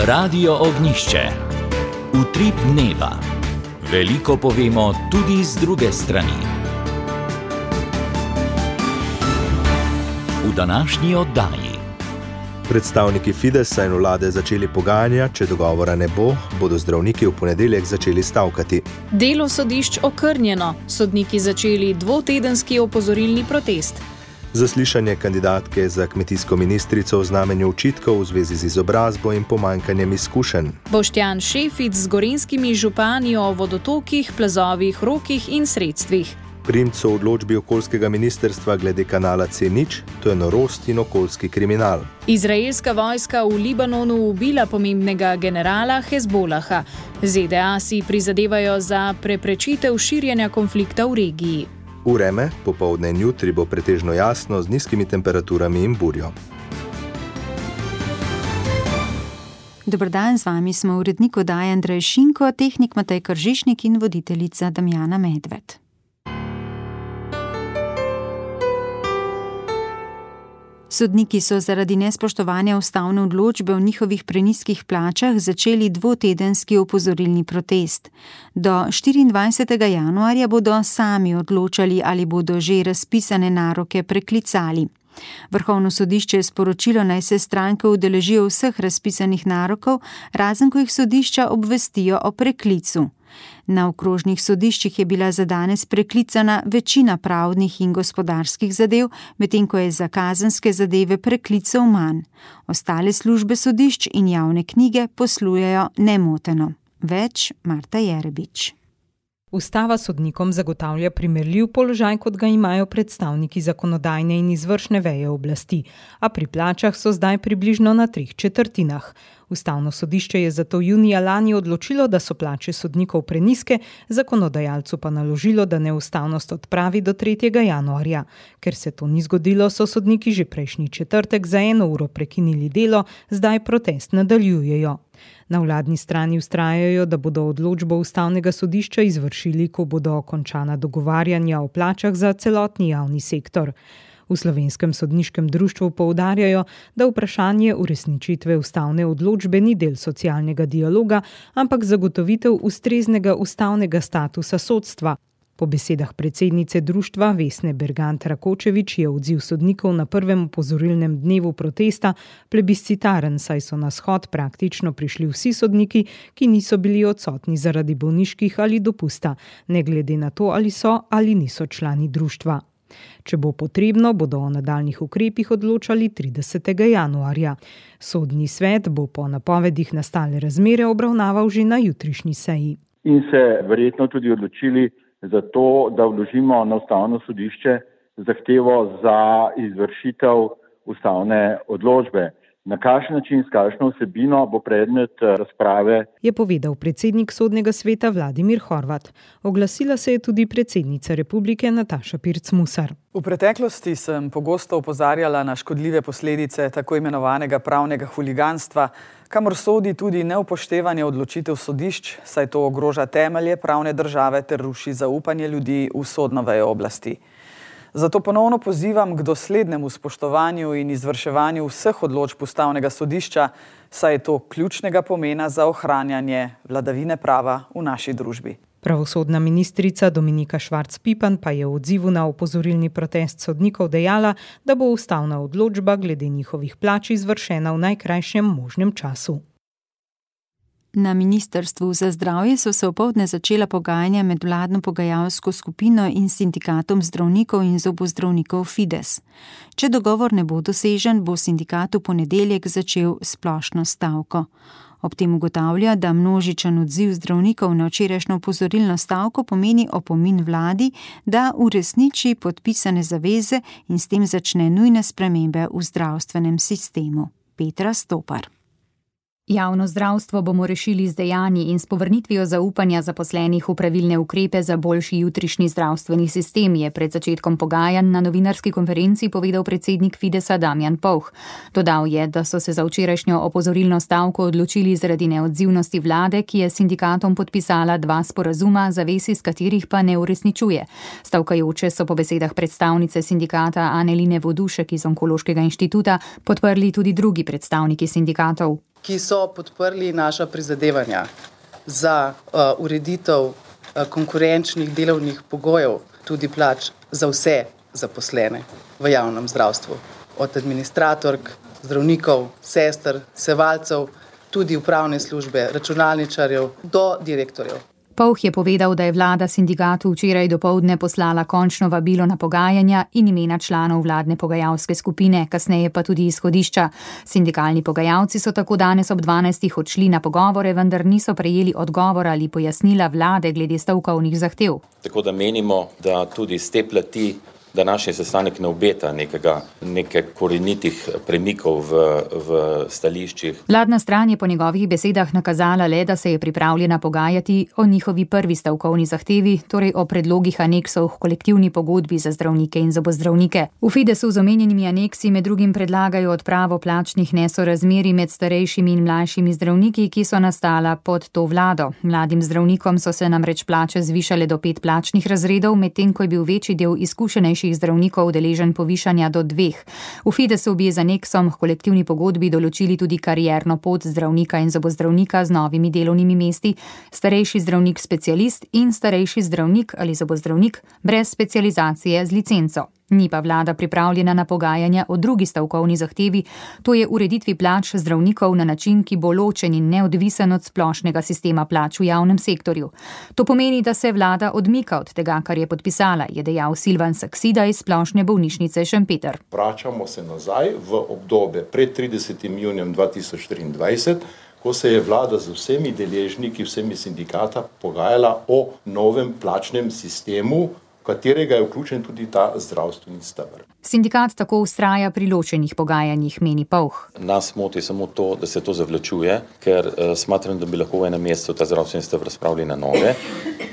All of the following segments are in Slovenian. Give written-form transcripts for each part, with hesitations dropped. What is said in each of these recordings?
Radio Ognjišče. Utrip dneva. Veliko povemo tudi z druge strani. V današnji oddaji. Predstavniki Fidesa in vlade začeli pogajanja, če dogovora ne bo, bodo zdravniki v ponedeljek začeli stavkati. Delo sodišč okrnjeno, sodniki začeli dvotedenski opozorilni protest. Zaslišanje kandidatke za kmetijsko ministrico v znamenju očitkov v zvezi z izobrazbo in pomanjkanjem izkušenj. Boštjan Šefic z gorenjskimi župani o vodotokih, plazovih, rokih in sredstvih. Primco v odločbi okoljskega ministrstva glede kanala C0, to je norost in okoljski kriminal. Izraelska vojska v Libanonu ubila pomembnega generala Hezbolaha. ZDA si prizadevajo za preprečitev širjenja konflikta v regiji. Vreme, popoldne in jutri bo pretežno jasno z nizkimi temperaturami in burjo. Dober dan, z vami smo urednik oddaje Andrej Šinko, tehnik Matej Kržišnik in voditeljica Damjana Medved. Sodniki so zaradi nespoštovanja ustavne odločbe o njihovih prenizkih plačah začeli dvotedenski opozorilni protest. Do 24. januarja bodo sami odločali, ali bodo že razpisane naroke preklicali. Vrhovno sodišče je sporočilo, naj se stranke udeležijo vseh razpisanih narokov, razen ko jih sodišča obvestijo o preklicu. Na okrožnih sodiščih je bila za danes preklicana večina pravnih in gospodarskih zadev, medtem ko je za kazenske zadeve preklicev manj. Ostale službe sodišč in javne knjige poslujejo nemoteno. Več Marta Jerebič. Ustava sodnikom zagotavlja primerljiv položaj, kot ga imajo predstavniki zakonodajne in izvršne veje oblasti, a pri plačah so zdaj približno na 3/4. Ustavno sodišče je zato junija lani odločilo, da so plače sodnikov prenizke, zakonodajalcu pa naložilo, da neustavnost odpravi do 3. januarja. Ker se to ni zgodilo, so sodniki že prejšnji četrtek za 1 uro prekinili delo, zdaj protest nadaljujejo. Na vladni strani vztrajajo, da bodo odločbo ustavnega sodišča izvršili, ko bodo končana dogovarjanja o plačah za celotni javni sektor. V Slovenskem sodniškem društvu poudarjajo, da vprašanje uresničitve ustavne odločbe ni del socialnega dialoga, ampak zagotovitev ustreznega ustavnega statusa sodstva. Po besedah predsednice društva Vesne Bergant Rakočevič je odziv sodnikov na prvem opozorilnem dnevu protesta plebiscitaren, saj so na shod praktično prišli vsi sodniki, ki niso bili odsotni zaradi bolniških ali dopusta, ne glede na to, ali so ali niso člani društva. Če bo potrebno, bodo o nadaljnjih ukrepih odločali 30. januarja. Sodni svet bo po napovedih nastale razmere obravnaval že na jutrišnji seji. In se verjetno tudi odločili za to, da vložimo na ustavno sodišče zahtevo za izvršitev ustavne odločbe. Na kakšen način, s kakšno vsebino bo predmet razprave, je povedal predsednik Sodnega sveta Vladimir Horvat. Oglasila se je tudi predsednica Republike Nataša Pirc Musar. V preteklosti sem pogosto opozarjala na škodljive posledice tako imenovanega pravnega huliganstva, kamor sodi tudi neupoštevanje odločitev sodišč, saj to ogroža temelje pravne države ter ruši zaupanje ljudi v sodno vejo oblasti. Zato ponovno pozivam k doslednemu spoštovanju in izvrševanju vseh odločb ustavnega sodišča, saj je to ključnega pomena za ohranjanje vladavine prava v naši družbi. Pravosodna ministrica Dominika Švarc Pipan pa je v odzivu na opozorilni protest sodnikov dejala, da bo ustavna odločba glede njihovih plač izvršena v najkrajšem možnem času. Na Ministrstvu za zdravje so se opoldne začela pogajanja med vladno pogajalsko skupino in sindikatom zdravnikov in zobozdravnikov Fides. Če dogovor ne bo dosežen, bo sindikat v ponedeljek začel splošno stavko. Ob tem ugotavlja, da množičen odziv zdravnikov na včerajšnjo opozorilno stavko pomeni opomin vladi, da uresniči podpisane zaveze in s tem začne nujne spremembe v zdravstvenem sistemu. Petra Stopar. Javno zdravstvo bomo rešili z dejanji in s povrnitvijo zaupanja zaposlenih v pravilne ukrepe za boljši jutrišnji zdravstveni sistem, je pred začetkom pogajanj na novinarski konferenci povedal predsednik Fidesa Damjan Pouh. Dodal je, da so se za včerajšnjo opozorilno stavko odločili zaradi neodzivnosti vlade, ki je sindikatom podpisala 2 sporazuma, zavez iz katerih pa ne uresničuje. Stavkajoče so po besedah predstavnice sindikata Aneline Vodušek iz Onkološkega inštituta podprli tudi drugi predstavniki sindikatov. ki so podprli naša prizadevanja za ureditev konkurenčnih delovnih pogojev, tudi plač za vse zaposlene v javnem zdravstvu. Od administratork, zdravnikov, sester, sevalcev, tudi upravne službe, računalničarjev do direktorjev. Povh je povedal, da je vlada sindikatu včeraj dopoldne poslala končno vabilo na pogajanja in imena članov vladne pogajalske skupine, kasneje pa tudi izhodišča. Sindikalni pogajalci so tako danes ob 12. odšli na pogovore, vendar niso prejeli odgovora ali pojasnila vlade glede stavkovnih zahtev. Tako da menimo, da tudi z te plati današnji sestanek ne obeta neke korenitih premikov v stališčih. Vladna stran je po njegovih besedah nakazala le, da se je pripravljena pogajati o njihovi prvi stavkovni zahtevi, torej o predlogih aneksov v kolektivni pogodbi za zdravnike in zobozdravnike. V Fidesu z omenjenimi aneksi med drugim predlagajo odpravo plačnih nesorazmerij med starejšimi in mlajšimi zdravniki, ki so nastala pod to vlado. Mladim zdravnikom so se namreč plače zvišale do 5 plačnih razredov, medtem ko je bil večji del izkušenejših zdravnikov deležen povišanja do 2. V Fidesu bi z aneksom k kolektivni pogodbi določili tudi karierno pot zdravnika in zobozdravnika z novimi delovnimi mesti, starejši zdravnik specialist in starejši zdravnik ali zobozdravnik brez specializacije z licenco. Ni pa vlada pripravljena na pogajanja o drugi stavkovni zahtevi, to je ureditvi plač zdravnikov na način, ki bo ločen in neodvisen od splošnega sistema plač v javnem sektorju. To pomeni, da se vlada odmika od tega, kar je podpisala, je dejal Silvan Saksida iz Splošne bolnišnice Šempeter. Vračamo se nazaj v obdobje pred 30. junijem 2023, ko se je vlada z vsemi deležniki, vsemi sindikata pogajala o novem plačnem sistemu, v katerega je vključen tudi ta zdravstveni steber. Sindikat tako vztraja pri ločenih pogajanjih, meni Povh. Nas moti samo to, da se to zavlačuje, ker smatram, da bi lahko v enem mesecu ta zdravstveni steber spravili na noge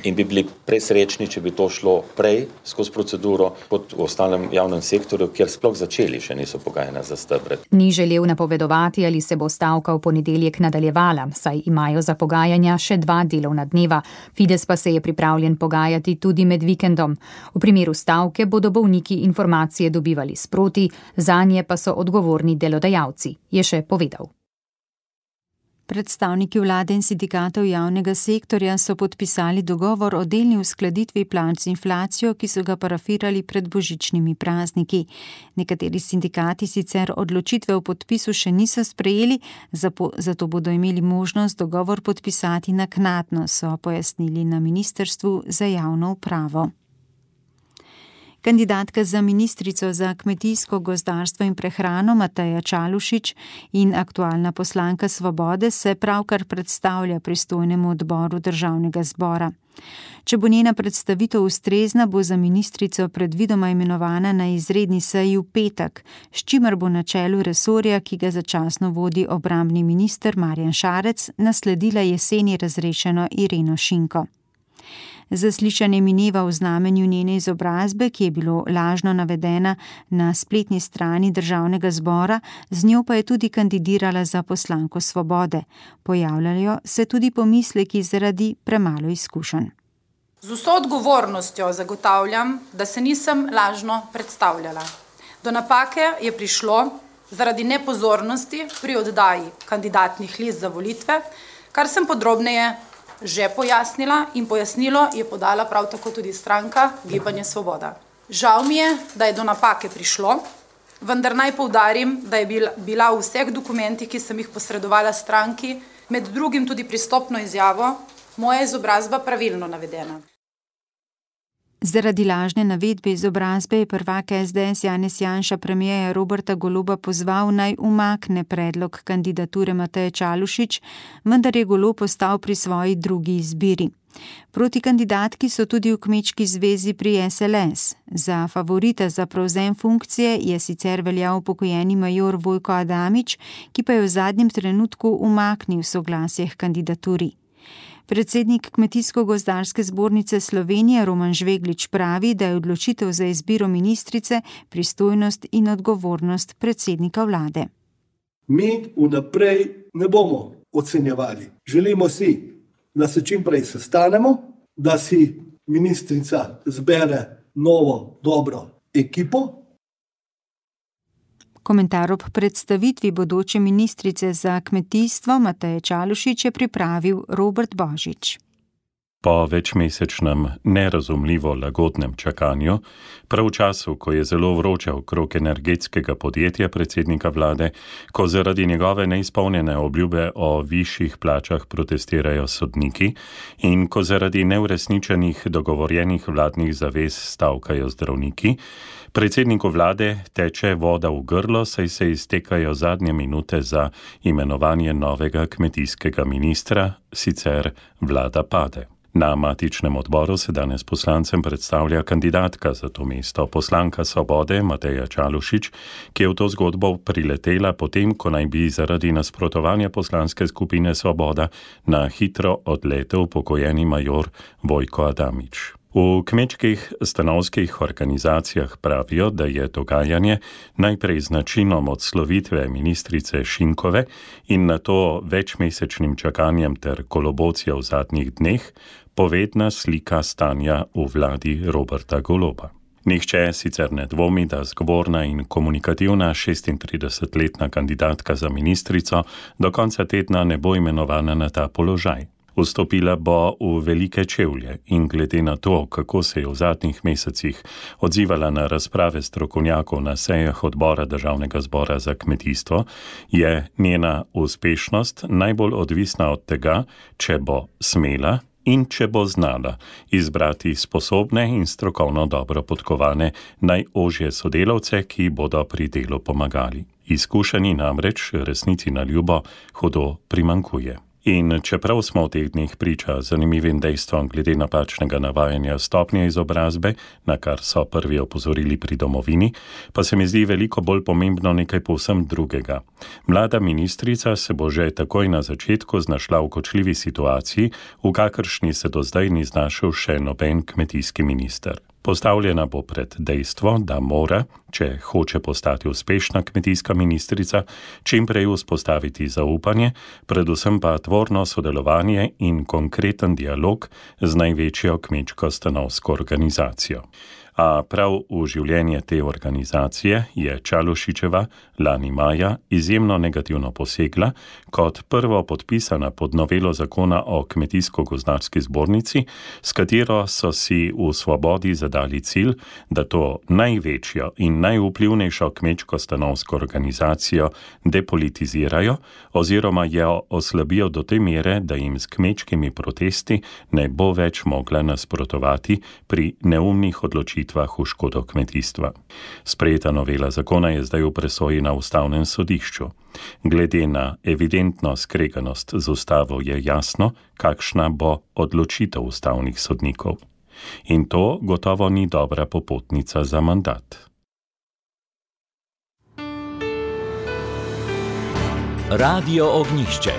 in bi bili presrečni, če bi to šlo prej skozi proceduro kot v ostalem javnem sektorju, kjer sploh začeli še niso pogajanja za stebre. Ni želel napovedovati, ali se bo stavka v ponedeljek nadaljevala, saj imajo za pogajanja še 2 delovna dneva. Fides pa se je pripravljen pogajati tudi med vikendom. V primeru stavke bodo bolniki informacije dobivali sproti, zanje pa so odgovorni delodajalci, je še povedal. Predstavniki vlade in sindikatov javnega sektorja so podpisali dogovor o delni uskladitvi plač z inflacijo, ki so ga parafirali pred božičnimi prazniki. Nekateri sindikati sicer odločitve o podpisu še niso sprejeli, zato bodo imeli možnost dogovor podpisati naknadno, so pojasnili na Ministrstvu za javno upravo. Kandidatka za ministrico za kmetijsko, gozdarstvo in prehrano Mateja Čalušić in aktualna poslanka Svobode se pravkar predstavlja pristojnemu odboru Državnega zbora. Če bo njena predstavitev ustrezna, bo za ministrico predvidoma imenovana na izredni seji v petek, s čimer bo na čelu resorja, ki ga začasno vodi obrambni minister Marjan Šarec, nasledila jeseni razrešeno Ireno Šinko. Zaslišanje mineva v znamenju njene izobrazbe, ki je bilo lažno navedena na spletni strani Državnega zbora, z njo pa je tudi kandidirala za poslanko Svobode. Pojavljajo se tudi pomisleki zaradi premalo izkušenj. Z vso odgovornostjo zagotavljam, da se nisem lažno predstavljala. Do napake je prišlo zaradi nepozornosti pri oddaji kandidatnih list za volitve, kar sem podrobneje že pojasnila in pojasnilo je podala prav tako tudi stranka Gibanje Svoboda. Žal mi je, da je do napake prišlo, vendar naj poudarim, da je bila v vseh dokumentih, ki sem jih posredovala stranki, med drugim tudi pristopno izjavo, moja izobrazba pravilno navedena. Zaradi lažne navedbe izobrazbe je prvak SDS Janez Janša premierja Roberta Goloba pozval, naj umakne predlog kandidature Mateje Čalušić, vendar je Golob ostal pri svoji drugi izbiri. Proti kandidatki so tudi v Kmečki zvezi pri SLS. Za favorita za prevzem funkcije je sicer veljal upokojeni major Vojko Adamič, ki pa je v zadnjem trenutku umaknil soglasje k kandidaturi. Predsednik Kmetijsko-gozdarske zbornice Slovenije Roman Žveglič pravi, da je odločitev za izbiro ministrice pristojnost in odgovornost predsednika vlade. Mi vnaprej ne bomo ocenjevali. Želimo si, da se čim prej sestanemo, da si ministrica zbere novo, dobro ekipo. Komentar ob predstavitvi bodoče ministrice za kmetijstvo Mateje Čalušić je pripravil Robert Božič. Po večmesečnem, nerazumljivo lagodnem čakanju, prav v času, ko je zelo vroče okrog energetskega podjetja predsednika vlade, ko zaradi njegove neizpolnjene obljube o višjih plačah protestirajo sodniki in ko zaradi neuresničenih dogovorjenih vladnih zavez stavkajo zdravniki, predsedniku vlade teče voda v grlo, saj se iztekajo zadnje minute za imenovanje novega kmetijskega ministra, sicer vlada pade. Na matičnem odboru se danes poslancem predstavlja kandidatka za to mesto, poslanka Svobode Mateja Čalušić, ki je v to zgodbo priletela potem, ko naj bi zaradi nasprotovanja poslanske skupine Svoboda na hitro odletel pokojeni major Vojko Adamič. V kmečkih stanovskih organizacijah pravijo, da je dogajanje najprej z načinom odslovitve ministrice Šinkove in nato večmesečnim čakanjem ter kolobocijo v zadnjih dneh povedna slika stanja v vladi Roberta Goloba. Nihče sicer ne dvomi, da zgovorna in komunikativna 36-letna kandidatka za ministrico do konca tedna ne bo imenovana na ta položaj. Vstopila bo v velike čevlje in glede na to, kako se je v zadnjih mesecih odzivala na razprave strokovnjakov na sejah odbora Državnega zbora za kmetijstvo, je njena uspešnost najbolj odvisna od tega, če bo smela in če bo znala izbrati sposobne in strokovno dobro podkovane najožje sodelavce, ki bodo pri delu pomagali. Izkušeni namreč resnici na ljubo hudo primankuje. In čeprav smo v teh dneh priča zanimivim dejstvom glede napačnega navajanja stopnje izobrazbe, na kar so prvi opozorili pri domovini, pa se mi zdi veliko bolj pomembno nekaj povsem drugega. Mlada ministrica se bo že takoj na začetku znašla v kočljivi situaciji, v kakršni se do zdaj ni znašel še noben kmetijski minister. Postavljena bo pred dejstvo, da mora, če hoče postati uspešna kmetijska ministrica, čim prej vzpostaviti zaupanje, predvsem pa tvorno sodelovanje in konkreten dialog z največjo kmečko stanovsko organizacijo. A prav v življenje te organizacije je Čalušićeva lani maja izjemno negativno posegla, kot prvo podpisana pod novelo zakona o kmetijsko-gozdarski zbornici, s katero so si v Svobodi zadali cilj, da to največjo in najvplivnejšo kmečko-stanovsko organizacijo depolitizirajo oziroma jo oslabijo do te mere, da jim s kmečkimi protesti ne bo več mogla nasprotovati pri neumnih odločitvah v škodo kmetijstva. Sprejeta novela zakona je zdaj v presoji na Ustavnem sodišču. Glede na evidentno skreganost z ustavo je jasno, kakšna bo odločitev ustavnih sodnikov. In to gotovo ni dobra popotnica za mandat. Radio Ognjišče.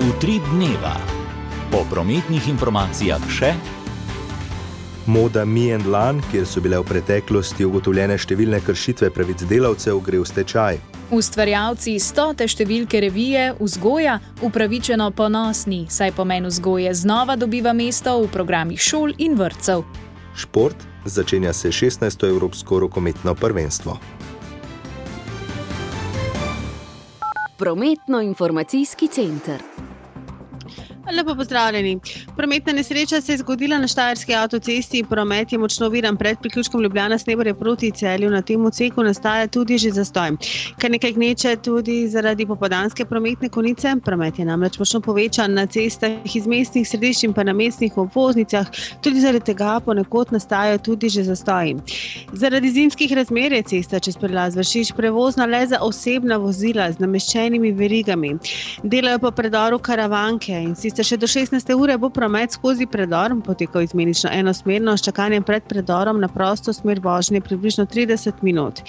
Utrip dneva. Po prometnih informacijah še Moda Mi & Lan, kjer so bile v preteklosti ugotovljene številne kršitve pravic delavcev, gre v stečaj. Ustvarjalci 100. številke revije Vzgoja upravičeno ponosni, saj pomen vzgoje znova dobiva mesto v programih šol in vrtcev. Šport, začenja se 16. evropsko rokometno prvenstvo. Prometno-informacijski center. Lepo pozdravljeni. Prometna nesreča se je zgodila na Štajerski avtocesti. Promet je močno oviran pred priključkom Ljubljana-Sneberje proti Celju. Na tem odseku nastaja tudi že zastoj. Kar nekaj gneče tudi zaradi popoldanske prometne konice. Promet je namreč močno povečan na cestah iz mestnih središč in pa na mestnih obvoznicah. Tudi zaradi tega ponekod nastajajo tudi že zastoji. Zaradi zimskih razmer je cesta čez prelaz Vršič prevozna le za osebna vozila z nameščenimi verigami. Delajo po predoru Karavanke in še do 16. ure bo promet skozi predor potekal izmenično enosmerno s čakanjem pred predorom na prosto smer vožnje približno 30 minut.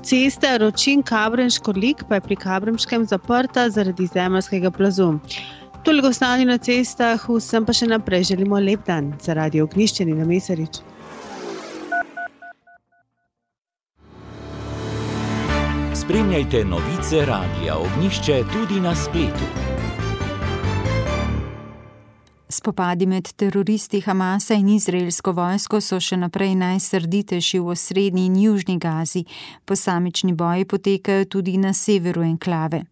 Cesta Ročin-Kabrenškorlik pa je pri Kabremškem zaprta zaradi zemeljskega plazu. Toliko stanje na cestah, vsem pa še naprej želimo lep dan. Za Radio Ognjišče Nina Mesarič. Spremljajte novice Radia Ognjišče tudi na spletu. Spopadi med teroristi Hamasa in izraelsko vojsko so še naprej najsrditejši v osrednji in južni Gazi. Posamični boji potekajo tudi na severu enklave.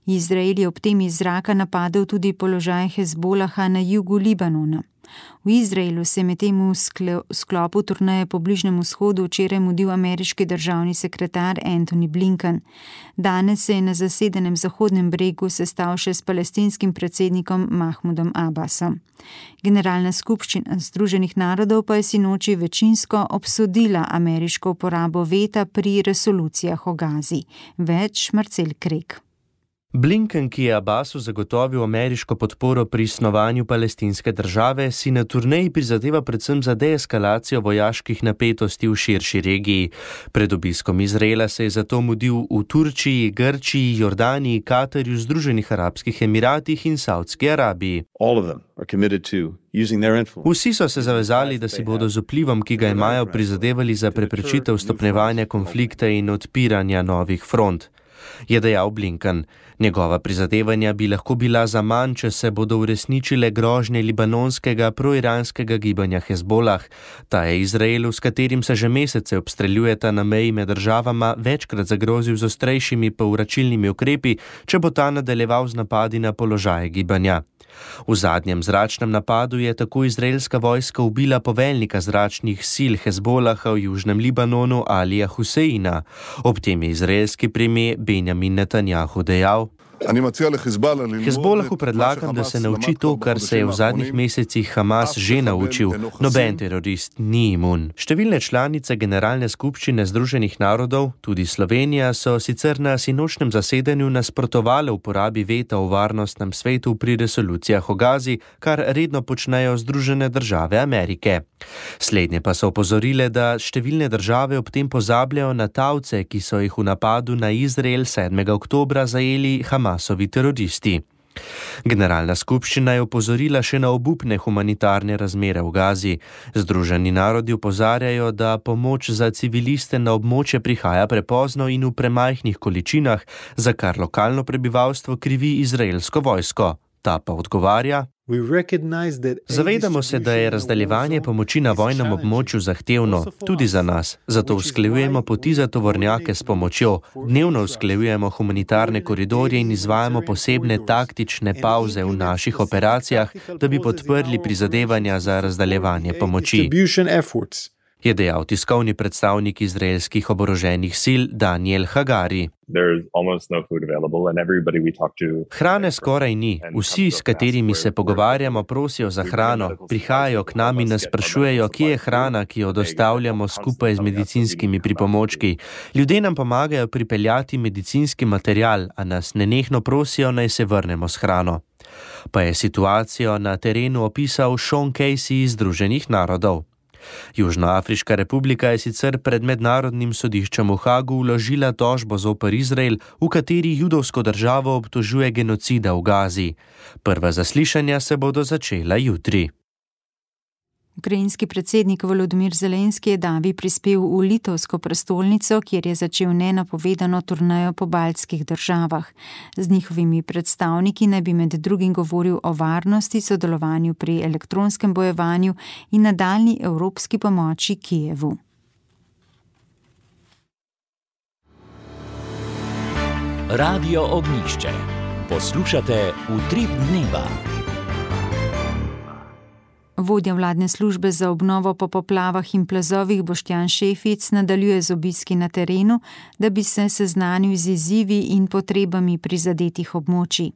Izrael je ob tem iz zraka napadel tudi položaj Hezbolaha na jugu Libanona. V Izraelu se je medtem v sklopu turneje po Bližnjem vzhodu včeraj mudil ameriški državni sekretar Antony Blinken. Danes se je na zasedenem Zahodnem bregu sestal še s palestinskim predsednikom Mahmudom Abbasom. Generalna skupščina Združenih narodov pa je sinoči večinsko obsodila ameriško uporabo veta pri resolucijah o Gazi. Več Marcel Krek. Blinken, ki je Abbasu zagotovil ameriško podporo pri snovanju palestinske države, si na turneji prizadeva predvsem za deeskalacijo vojaških napetosti v širši regiji. Pred obiskom Izraela se je zato mudil v Turčiji, Grčiji, Jordaniji, Katarju, Združenih arabskih emiratih in Saudski Arabiji. Vsi so se zavezali, da si bodo z vplivom, ki ga imajo, prizadevali za preprečitev stopnjevanja konflikta in odpiranja novih front. Je dejal Blinken. Njegova prizadevanja bi lahko bila zaman, če se bodo uresničile grožnje libanonskega proiranskega gibanja Hezbolah. Ta je Izraelu, s katerim se že mesece obstreljujeta na meji med državama, večkrat zagrozil z ostrejšimi povračilnimi ukrepi, če bo ta nadaljeval z napadi na položaje gibanja. V zadnjem zračnem napadu je tako izraelska vojska ubila poveljnika zračnih sil Hezbolaha v južnem Libanonu Alija Huseina. Ob tem je izraelski premier Benjamin Netanjahu dejal: Hezbolahu predlagam, da se nauči to, kar se je v zadnjih mesecih Hamas že naučil. Noben terorist ni imun. Številne članice Generalne skupščine Združenih narodov, tudi Slovenija, so sicer na sinočnem zasedanju nasprotovale uporabi veta v varnostnem svetu pri resolucijah o Gazi, kar redno počnejo Združene države Amerike. Slednje pa so opozorile, da številne države ob tem pozabljajo na talce, ki so jih v napadu na Izrael 7. oktobra zajeli Hamasovi teroristi. Generalna skupščina je opozorila še na obupne humanitarne razmere v Gazi. Združeni narodi opozarjajo, da pomoč za civiliste na območje prihaja prepozno in v premajhnih količinah, za kar lokalno prebivalstvo krivi izraelsko vojsko. Ta pa odgovarja: Zavedamo se, da je razdaljevanje pomoči na vojnem območju zahtevno, tudi za nas. Zato usklajujemo poti za tovornjake s pomočjo, dnevno usklajujemo humanitarne koridorje in izvajamo posebne taktične pavze v naših operacijah, da bi podprli prizadevanja za razdaljevanje pomoči, je dejal tiskovni predstavnik izraelskih oboroženih sil Daniel Hagari. Hrane skoraj ni. Vsi, s katerimi se pogovarjamo, prosijo za hrano, prihajajo k nam in nas sprašujejo, kje je hrana, ki jo dostavljamo skupaj z medicinskimi pripomočki. Ljudje nam pomagajo pripeljati medicinski material, a nas nenehno prosijo, naj se vrnemo s hrano. Pa je situacijo na terenu opisal Sean Casey iz Združenih narodov. Južnoafriška republika je sicer pred mednarodnim sodiščem v Hagu vložila tožbo zoper Izrael, v kateri judovsko državo obtožuje genocida v Gazi. Prva zaslišanja se bodo začela jutri. Ukrajinski predsednik Volodymyr Zelenski je davi prispel v litovsko prestolnico, kjer je začel nenapovedano turnejo po baltskih državah. Z njihovimi predstavniki naj bi med drugim govoril o varnosti, sodelovanju pri elektronskem bojevanju in nadaljnji evropski pomoči Kijevu. Radio Ognjišče. Poslušate Utrip dneva. Vodja vladne službe za obnovo po poplavah in plazovih Boštjan Šefic nadaljuje z obiski na terenu, da bi se seznanil z izzivi in potrebami prizadetih območij.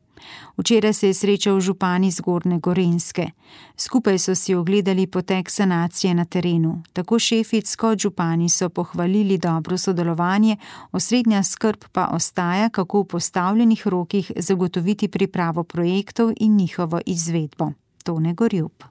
Včeraj se je srečal župani Zgornje Gorenjske. Skupaj so si ogledali potek sanacije na terenu. Tako Šefic kot župani so pohvalili dobro sodelovanje, osrednja skrb pa ostaja, kako v postavljenih rokih zagotoviti pripravo projektov in njihovo izvedbo. Tone Gorjup.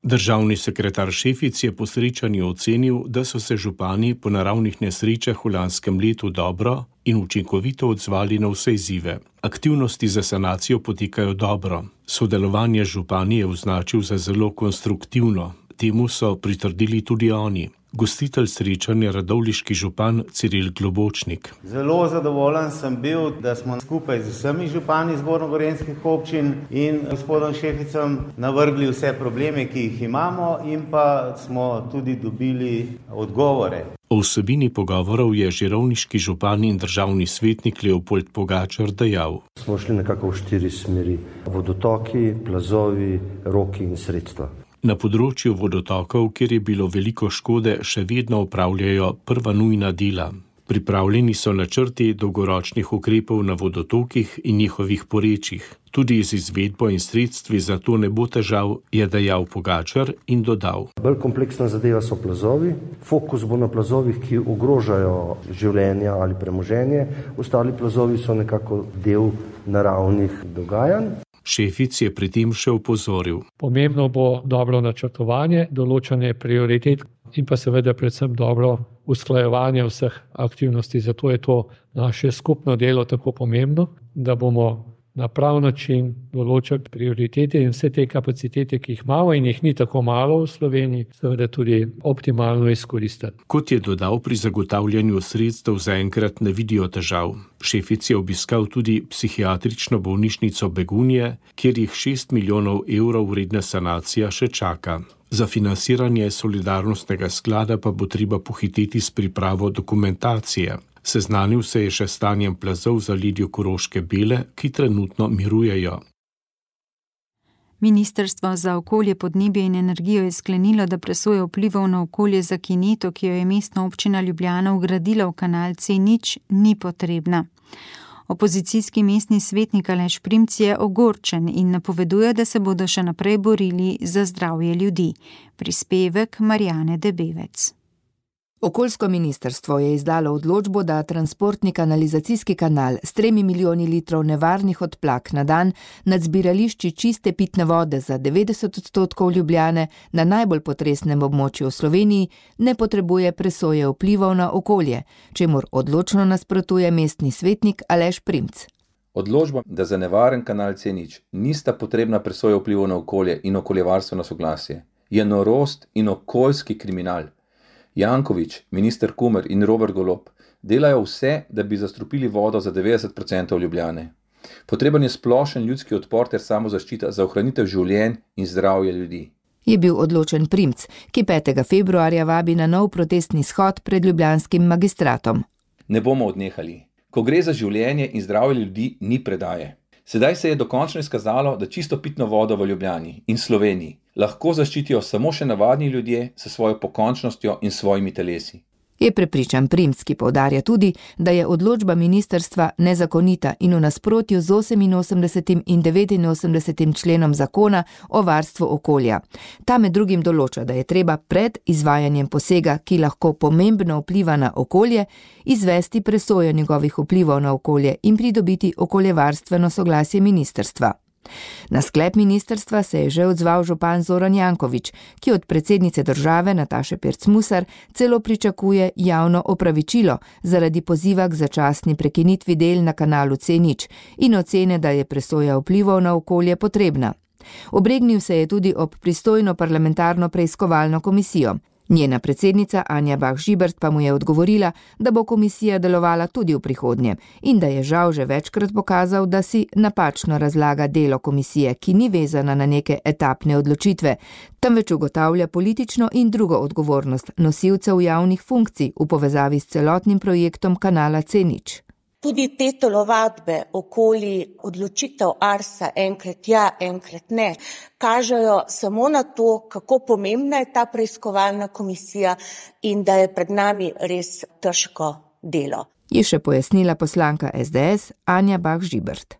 Državni sekretar Šefic je po srečanju ocenil, da so se župani po naravnih nesrečah v lanskem letu dobro in učinkovito odzvali na vse izzive. Aktivnosti za sanacijo potekajo dobro. Sodelovanje z župani je označil za zelo konstruktivno. Temu so pritrdili tudi oni. Gostitelj srečanja radovljiški župan Ciril Globočnik. Zelo zadovoljen sem bil, da smo skupaj z vsemi župani zgornjegorenjskih občin in gospodom Šeficem navrgli vse probleme, ki jih imamo, in pa smo tudi dobili odgovore. O vsebini pogovorov je žirovniški župan in državni svetnik Leopold Pogačar dejal. Smo šli nekako v 4 smeri. Vodotoki, plazovi, roki in sredstva. Na področju vodotokov, kjer je bilo veliko škode, še vedno opravljajo prva nujna dela. Pripravljeni so načrti dolgoročnih ukrepov na vodotokih in njihovih porečjih. Tudi z izvedbo in sredstvi za to ne bo težav, je dejal Pogačar in dodal. Bolj kompleksna zadeva so plazovi. Fokus bo na plazovih, ki ogrožajo življenja ali premoženje. Ostali plazovi so nekako del naravnih dogajanj. Šefic je pri tem še opozoril. Pomembno bo dobro načrtovanje, določanje prioritet in pa seveda predvsem dobro usklajevanje vseh aktivnosti. Zato je to naše skupno delo tako pomembno, da bomo na prav način določati prioritete in vse te kapacitete, ki jih imamo in jih ni tako malo v Sloveniji, seveda tudi optimalno izkoristiti. Kot je dodal, pri zagotavljanju sredstev zaenkrat ne vidijo težav. Šefic je obiskal tudi psihiatrično bolnišnico Begunje, kjer jih 6 milijonov evrov vredna sanacija še čaka. Za financiranje solidarnostnega sklada pa bo treba pohiteti s pripravo dokumentacije. Seznanil se je še stanjem plazov za Lidjo Koroške Bele, ki trenutno mirujejo. Ministrstvo za okolje, podnebje in energijo je sklenilo, da presoja vplivov na okolje za kineto, ki jo je mestna občina Ljubljana vgradila v kanal C0, ni potrebna. Opozicijski mestni svetnik Aleš Primc je ogorčen in napoveduje, da se bodo še naprej borili za zdravje ljudi. Prispevek Marjane Debevec. Okoljsko ministrstvo je izdalo odločbo, da transportni kanalizacijski kanal s 3 milijoni litrov nevarnih odplak na dan nad zbirališči čiste pitne vode za 90% Ljubljane na najbolj potresnem območju v Sloveniji ne potrebuje presoje vplivov na okolje, čemur odločno nasprotuje mestni svetnik Aleš Primc. Odločba, da za nevaren kanal C0 nista potrebna presoja vplivov na okolje in okoljevarstveno soglasje, je norost in okoljski kriminal. Janković, minister Kumer in Robert Golob delajo vse, da bi zastrupili vodo za 90% Ljubljane. Potreben je splošen ljudski odpor ter samozaščita za ohranitev življenj in zdravje ljudi. Je bil odločen Primc, ki 5. februarja vabi na nov protestni shod pred ljubljanskim magistratom. Ne bomo odnehali. Ko gre za življenje in zdravje ljudi, ni predaje. Sedaj se je dokončno izkazalo, da čisto pitno vodo v Ljubljani in Sloveniji lahko zaščitijo samo še navadni ljudje s svojo pokončnostjo in svojimi telesi. Je prepričan Primc, ki poudarja tudi, da je odločba ministrstva nezakonita in v nasprotju z 88. in 89. členom zakona o varstvu okolja. Ta med drugim določa, da je treba pred izvajanjem posega, ki lahko pomembno vpliva na okolje, izvesti presojo njegovih vplivov na okolje in pridobiti okoljevarstveno soglasje ministrstva. Na sklep ministrstva se je že odzval župan Zoran Janković, ki od predsednice države Nataše Pirc-Musar celo pričakuje javno opravičilo zaradi poziva k začasni prekinitvi del na kanalu C0 in ocene, da je presoja vplivov na okolje potrebna. Obregnil se je tudi ob pristojno parlamentarno preiskovalno komisijo. Njena predsednica Anja Bah Žibert pa mu je odgovorila, da bo komisija delovala tudi v prihodnje in da je žal že večkrat pokazal, da si napačno razlaga delo komisije, ki ni vezana na neke etapne odločitve, temveč ugotavlja politično in drugo odgovornost nosilcev javnih funkcij v povezavi s celotnim projektom kanala C0. Tudi te telovadbe okoli odločitev Arsa, enkrat ja, enkrat ne, kažejo samo na to, kako pomembna je ta preiskovalna komisija in da je pred nami res težko delo. Je še pojasnila poslanka SDS Anja Bah Žibert.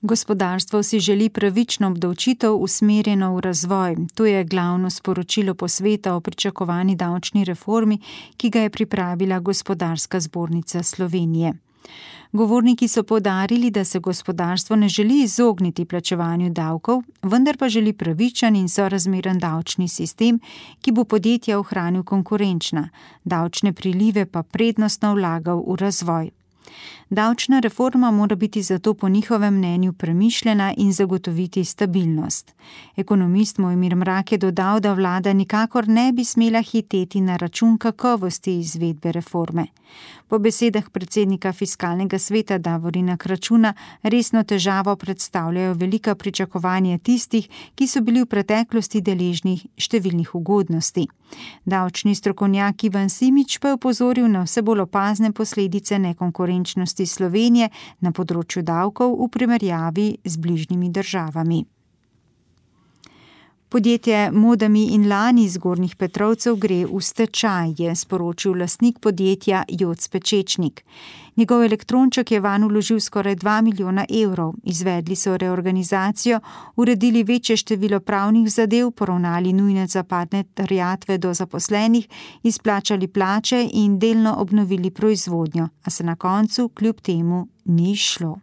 Gospodarstvo si želi pravično obdavčitev usmerjeno v razvoj. To je glavno sporočilo posveta o pričakovani davčni reformi, ki ga je pripravila Gospodarska zbornica Slovenije. Govorniki so poudarili, da se gospodarstvo ne želi izogniti plačevanju davkov, vendar pa želi pravičen in sorazmeren davčni sistem, ki bo podjetja ohranil konkurenčna, davčne prilive pa prednostno vlagal v razvoj. Davčna reforma mora biti zato po njihovem mnenju premišljena in zagotoviti stabilnost. Ekonomist Mojmir Mrak je dodal, da vlada nikakor ne bi smela hiteti na račun kakovosti izvedbe reforme. Po besedah predsednika Fiskalnega sveta Davorina Kračuna resno težavo predstavljajo velika pričakovanja tistih, ki so bili v preteklosti deležni številnih ugodnosti. Davčni strokovnjak Ivan Simič pa je opozoril na vse bolj opazne posledice nekonkurenčnosti Slovenije na področju davkov v primerjavi z bližnjimi državami. Podjetje Modami in Lani iz Gornjih Petrovcev gre v stečaj, je sporočil lastnik podjetja Joc Pečečnik. Njegov elektronček je vanj vložil skoraj 2 milijona evrov. Izvedli so reorganizacijo, uredili večje število pravnih zadev, poravnali nujne zapadne terjatve do zaposlenih, izplačali plače in delno obnovili proizvodnjo, a se na koncu kljub temu ni šlo.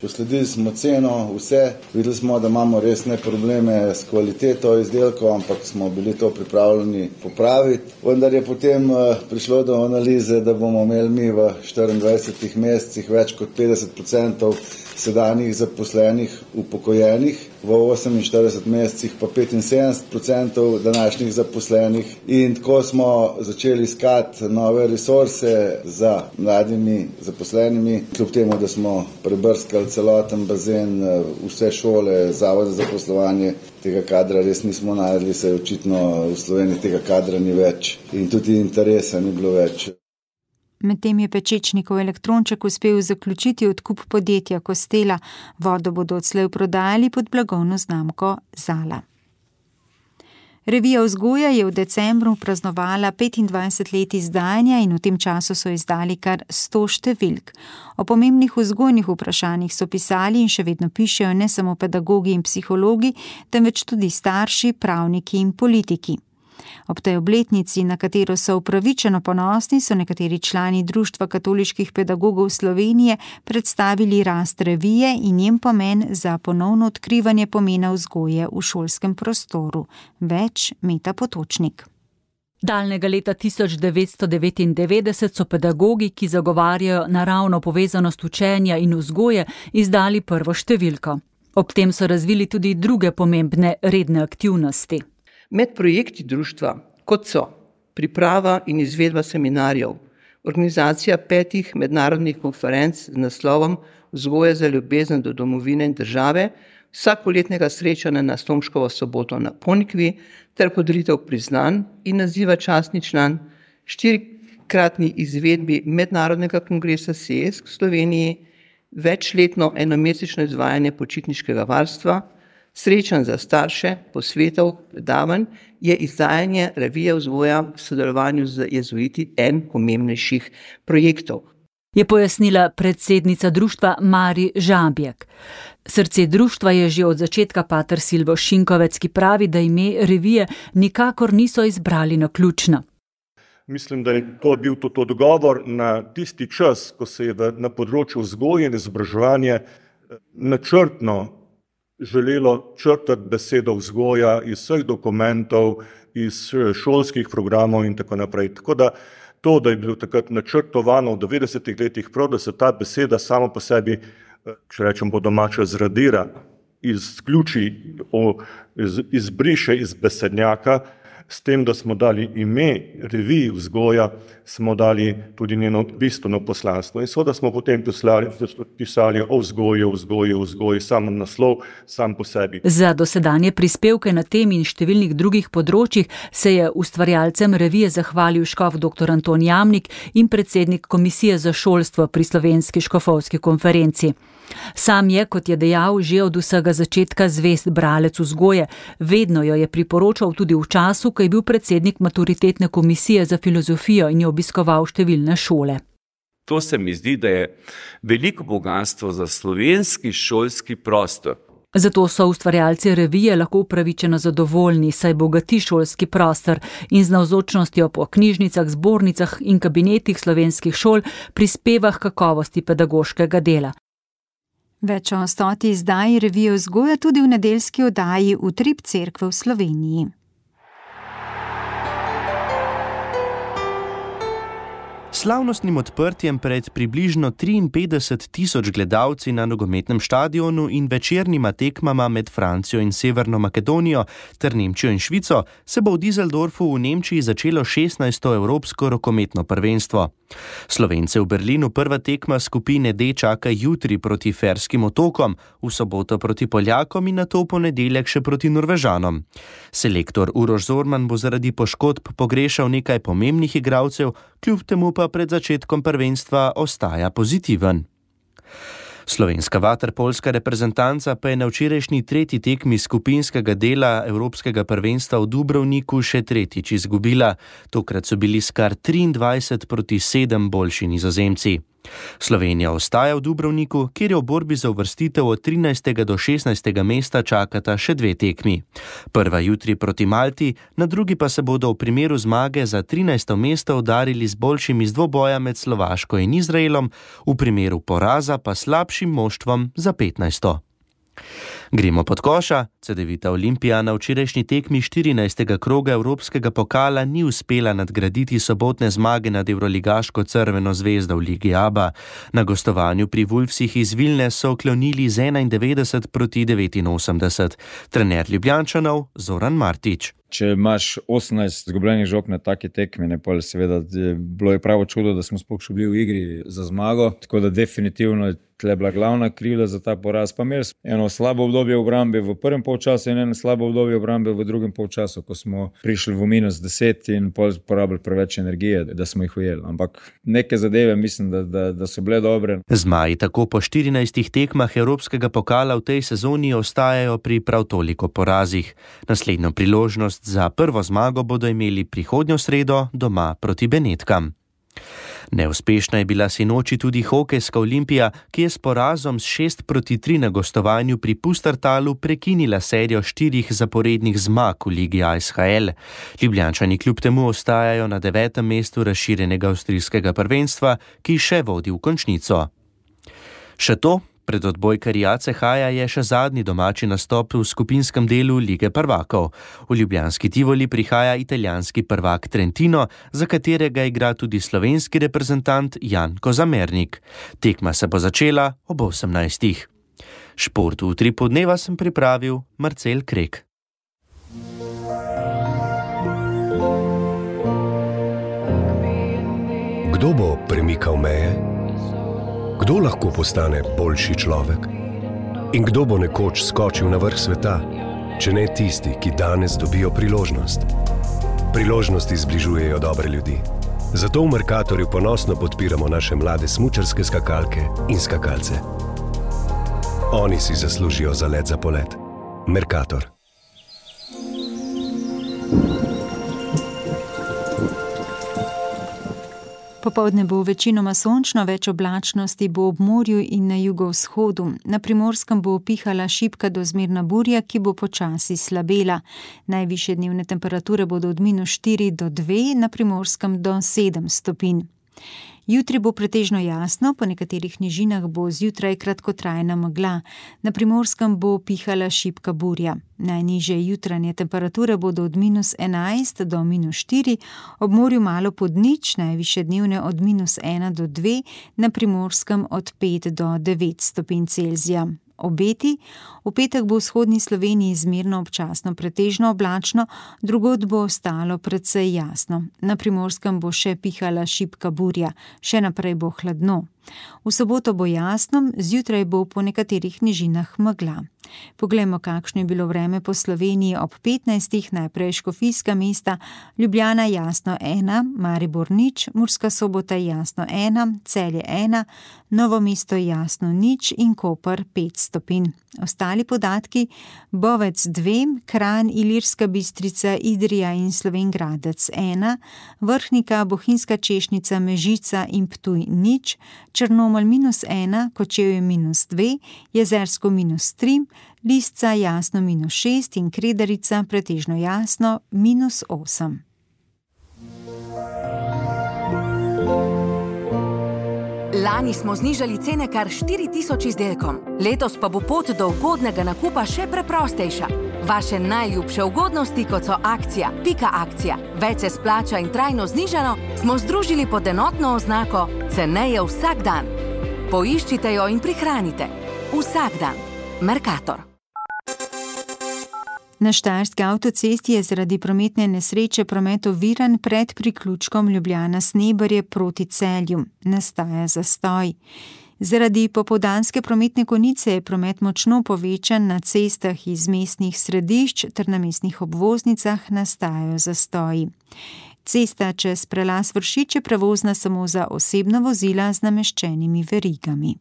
Posledili smo ceno, vse, videli smo, da imamo resne probleme s kvaliteto izdelkov, ampak smo bili to pripravljeni popraviti. Vendar je potem prišlo do analize, da bomo imeli mi v 24 mesecih več kot 50% sedanjih zaposlenih upokojenih, v 48 mesecih pa 75% današnjih zaposlenih. In tako smo začeli iskati nove resurse za mladimi zaposlenimi, kljub temu, da smo prebrskali celoten bazen, vse šole, zavode za zaposlovanje, tega kadra res nismo našli, se očitno v Sloveniji tega kadra ni več in tudi interesa ni bilo več. Medtem je Pečečnikov elektronček uspel zaključiti odkup podjetja Kostela, vodo bodo odslej prodajali pod blagovno znamko Zala. Revija Vzgoja je v decembru praznovala 25 let izdajanja in v tem času so izdali kar 100 številk. O pomembnih vzgojnih vprašanjih so pisali in še vedno pišejo ne samo pedagogi in psihologi, temveč tudi starši, pravniki in politiki. Ob tej obletnici, na katero so upravičeno ponosni, so nekateri člani Društva katoliških pedagogov Slovenije predstavili rast revije in njen pomen za ponovno odkrivanje pomena vzgoje v šolskem prostoru. Več Meta Potočnik. Daljnega leta 1999 so pedagogi, ki zagovarjajo naravno povezanost učenja in vzgoje, izdali prvo številko. Ob tem so razvili tudi druge pomembne redne aktivnosti. Med projekti društva, kot so priprava in izvedba seminarjev, organizacija 5 mednarodnih konferenc z naslovom Vzgoja za ljubezen do domovine in države, vsakoletnega srečanja na Slomškovo soboto na Ponikvi ter podelitev priznanj in naziva častni član, 4-kratni izvedbi mednarodnega kongresa SESK v Sloveniji, večletno enomesečno izvajanje počitniškega varstva, srečanj za starše, posvetov, predavanj, je izdajanje revije Vzgoja v sodelovanju z jezuiti en pomembnejših projektov. Je pojasnila predsednica društva Mari Žabjek. Srce društva je že od začetka pater Silvo Šinkovec, ki pravi, da ime revije nikakor niso izbrali naključno. Mislim, da je to bil tudi odgovor na tisti čas, ko se je na področju vzgoje in izobraževanja načrtno želelo črtati besedo vzgoja iz vseh dokumentov, iz šolskih programov in tako naprej. Tako da to, da je bilo takrat načrtovano v 90-ih letih prav, da se ta beseda samo po sebi, če rečem po domače, zradira, izključi, izbriše iz besednjaka, s tem, da smo dali ime reviji Vzgoja, smo dali tudi njeno bistveno poslanstvo. In seveda smo potem pisali o vzgoji, sam naslov, sam po sebi. Za dosedanje prispevke na tem in številnih drugih področjih se je ustvarjalcem revije zahvalil škof dr. Anton Jamnik in predsednik Komisije za šolstvo pri Slovenski škofovski konferenci. Sam je, kot je dejal, že od vsega začetka zvest bralec vzgoje. Vedno jo je priporočal tudi v času, ko je bil predsednik maturitetne komisije za filozofijo in je obiskoval številne šole. To se mi zdi, da je veliko bogastvo za slovenski šolski prostor. Zato so ustvarjalci revije lahko upravičeno zadovoljni, saj bogati šolski prostor in z navzočnostjo po knjižnicah, zbornicah in kabinetih slovenskih šol prispeva k kakovosti pedagoškega dela. Več o 100. izdaji revije Vzgoja tudi v nedeljski oddaji Utrip cerkve v Sloveniji. slavnostnim odprtjem pred približno 53 tisoč gledalci na nogometnem štadionu in večernima tekmama med Francijo in Severno Makedonijo ter Nemčijo in Švico se bo v Düsseldorfu v Nemčiji začelo 16. evropsko rokometno prvenstvo. Slovence v Berlinu prva tekma skupine D čaka jutri proti Ferskim otokom, v soboto proti Poljakom in nato v ponedeljek še proti Norvežanom. Selektor Uroš Zorman bo zaradi poškodb pogrešal nekaj pomembnih igralcev, kljub temu pa pred začetkom prvenstva ostaja pozitiven. Slovenska vaterpolska reprezentanca pa je na včerajšnji tretji tekmi skupinskega dela Evropskega prvenstva v Dubrovniku še tretjič izgubila. Tokrat so bili s kar 23-7 boljši Nizozemci. Slovenija ostaja v Dubrovniku, kjer je v borbi za uvrstitev od 13. do 16. mesta čakata še dve tekmi. Prva jutri proti Malti, na drugi pa se bodo v primeru zmage za 13. mesto udarili z boljšimi z dvoboja med Slovaško in Izraelom, v primeru poraza pa slabšim moštvom za 15. Gremo pod koša. Cedevita Olimpija na včerajšnji tekmi 14. kroga Evropskega pokala ni uspela nadgraditi sobotne zmage nad evroligaško Crveno zvezdo v Ligi ABA. Na gostovanju pri Vulfsih iz Vilne so oklonili z 91-89. Trener Ljubljančanov Zoran Martić. Če imaš 18 izgubljenih žog na taki tekmi, ne, pa seveda bilo je pravo čudo, da smo sploh še bili v igri za zmago, tako da definitivno je tle bila glavna krivda za ta poraz. Pa imeli smo eno slabo obdobje v obrambi v prvem polčasu in eno slabo obdobje v obrambi v drugem polčasu, ko smo prišli v -10 in porabili preveč energije, da smo jih ujeli. Ampak neke zadeve mislim, da so bile dobre. Zmaji tako po 14 tekmah Evropskega pokala v tej sezoni ostajajo pri prav toliko porazih. Naslednjo priložnost za prvo zmago bodo imeli prihodnjo sredo doma proti Benetkam. Neuspešna je bila sinoči tudi hokejska Olimpija, ki je s porazom s 6-3 na gostovanju pri Pustertalu prekinila serijo 4 zaporednih zmag v Ligi ASHL. Ljubljančani kljub temu ostajajo na 9. mestu razširjenega avstrijskega prvenstva, ki še vodi v končnico. Še to, pred odbojkarji ACH-ja je še zadnji domači nastop v skupinskem delu Lige prvakov. V ljubljanski Tivoli prihaja italijanski prvak Trentino, za katerega igra tudi slovenski reprezentant Jan Kozamernik. Tekma se bo začela ob 18. Šport v Utripu dneva sem pripravil Marcel Krek. Kdo bo premikal meje? Kdo lahko postane boljši človek? In kdo bo nekoč skočil na vrh sveta, če ne tisti, ki danes dobijo priložnost? Priložnosti zbližujejo dobre ljudi. Zato v Mercatorju ponosno podpiramo naše mlade smučarske skakalke in skakalce. Oni si zaslužijo za let za polet. Mercator. Popoldne bo večinoma sončno, več oblačnosti bo ob morju in na jugovzhodu. Na Primorskem bo pihala šibka do zmerna burja, ki bo počasi slabela. Najvišje dnevne temperature bodo od -4 do 2, na Primorskem do 7 stopinj. Jutri bo pretežno jasno, po nekaterih nižinah bo zjutraj kratkotrajna megla. Na Primorskem bo pihala šibka burja. Najnižje jutranje temperature bodo od -11 do -4, ob morju malo pod nič, najvišje dnevne od -1 do 2, na Primorskem od 5 do 9 stopinj Celzija. Obeti. V petek bo v vzhodni Sloveniji zmerno občasno pretežno oblačno, drugod bo ostalo precej jasno. Na Primorskem bo še pihala šibka burja, še naprej bo hladno. V soboto bo jasno, zjutraj bo po nekaterih nižinah megla. Poglejmo, kakšno je bilo vreme po Sloveniji ob 15. Najprej škofijska mesta, Ljubljana jasno 1, Maribor nič, Murska Sobota jasno 1, Celje 1, Novo mesto jasno nič in Koper 5 stopinj. Ostali podatki: Bovec 2, Kranj, Ilirska Bistrica, Idrija in Slovenj Gradec 1, Vrhnika, Bohinjska Češnica, Mežica in Ptuj nič, Črnomelj -1, Kočevje -2, Jezersko -3, Lisca jasno -6 in Kredarica pretežno jasno -8. Lani smo znižali cene kar 4000 izdelkom. Letos pa bo pot do ugodnega nakupa še preprostejša. Vaše najljubše ugodnosti, kot so akcija, pika akcija, več se splača in trajno znižano, smo združili pod enotno oznako ceneje vsak dan. Poiščite jo in prihranite. Vsak dan. Mercator. Na štajerski avtocesti je zaradi prometne nesreče promet oviran pred priključkom Ljubljana-Sneberje proti Celju. Nastaja zastoj. Zaradi popoldanske prometne konice je promet močno povečan na cestah iz mestnih središč ter na mestnih obvoznicah nastajajo zastoji. Cesta čez prelaz Vršič je prevozna samo za osebna vozila z nameščenimi verigami.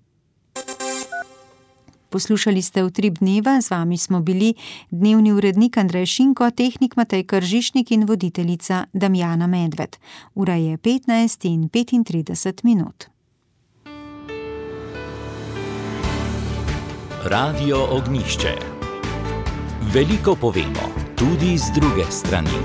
Poslušali ste Utrip dneva, z vami smo bili dnevni urednik Andrej Šinko, tehnik Matej Kržišnik in voditeljica Damjana Medved. Ura je 15:35. Radio Ognjišče. Veliko povemo, tudi z druge strani.